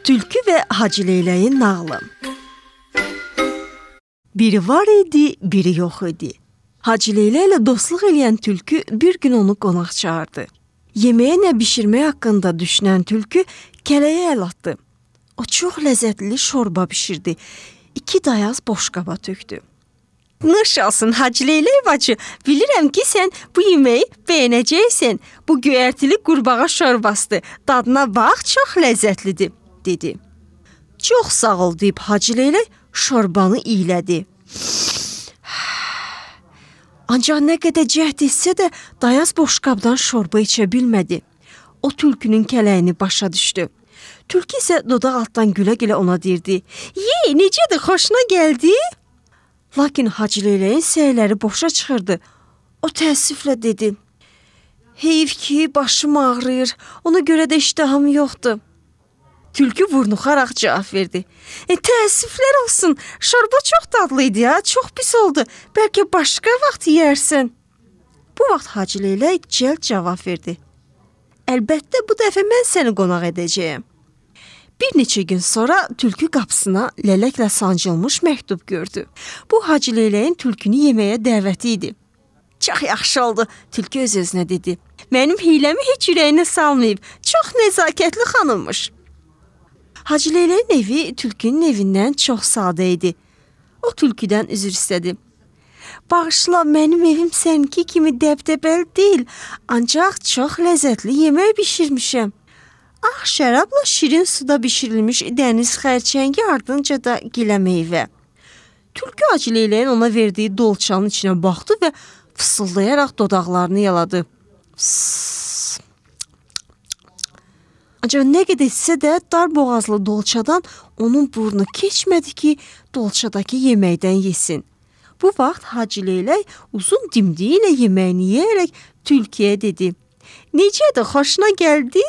Tülkü və Hacı Leyləyin nağılı. Biri var idi, biri yox idi. Hacı Leylə ilə dostluq eləyən tülkü bir gün onu qonaq çağırdı. Yeməyə nə bişirmək haqqında düşünən tülkü kələyə əl atdı. O çox ləzzətli şorba bişirdi. 2 dayaz boşqaba tökdü. Nuş olsun Hacı Leylə bacı, bilirəm ki sən bu yeməyi bəyənəcəksən. Bu göyərtili qurbağa şorbasıdır. Dadına bax, çox ləzzətlidir, dedi. Çox sağ ol deyib Hacı Leylə şorbanı iylədi. Ancaq nə qədər cəhd etsə də dayaz boşqabdan şorba içə bilmədi. O tülkünün kələyini başa düşdü. Tülkü isə dodaq altdan gülə-gülə ona deyirdi. Yey, necədir, xoşuna gəldi? Lakin Hacı Leyləyin səyləri boşa çıxırdı. O təəssüflə dedi. Heyf ki, başım ağrıyır, ona görə də iştahım yoxdur. Tülkü vurnuxaraq cavab verdi. Təəssüflər olsun, şorba çox dadlıydı ya, çox pis oldu. Bəlkə başqa vaxt yeyərsən. Bu vaxt Hacı Leylə cəld cavab verdi. Əlbəttə, bu dəfə mən səni qonaq edəcəyəm. Bir neçə gün sonra tülkü qapısına lələklə sancılmış məktub gördü. Bu Hacı Leyləyin tülkünü yeməyə dəvəti idi. Çox yaxşı oldu, tülkü öz-özünə dedi. Mənim hiləmi heç ürəyinə salmayıb, çox nəzakətli xanımmış. Hacı Leyləyin evi tülkünün evindən çox sadə idi. O tülküdən üzr istədi. Bağışla, mənim evim səninki kimi dəbdəbəli deyil, ancaq çox ləzzətli yemək bişirmişəm. Ağ şərabla şirin suda bişirilmiş dəniz xərçəngi, ardınca da gilə meyvə. Tülkü Hacı Leyləyin ona verdiyi dolçanın içinə baxdı və fısıldayaraq dodaqlarını yaladı. Ancaq nə qədər etsə də dar boğazlı dolçadan onun burnu keçmədi ki, dolçadakı yeməkdən yesin. Bu vaxt Hacı Leylək uzun dimdiyi ilə yeməyini yeyərək tülküyə dedi. Necədir, xoşuna gəldi?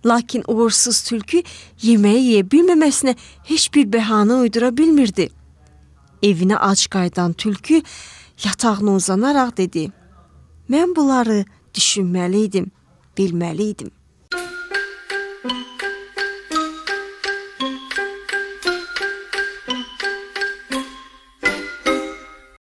Lakin uğursuz tülkü yeməyi yeyə bilməməsinə heç bir bəhanə uydura bilmirdi. Evinə ac qayıdan tülkü yatağına uzanaraq dedi. Mən bunları düşünməliydim, bilməliydim.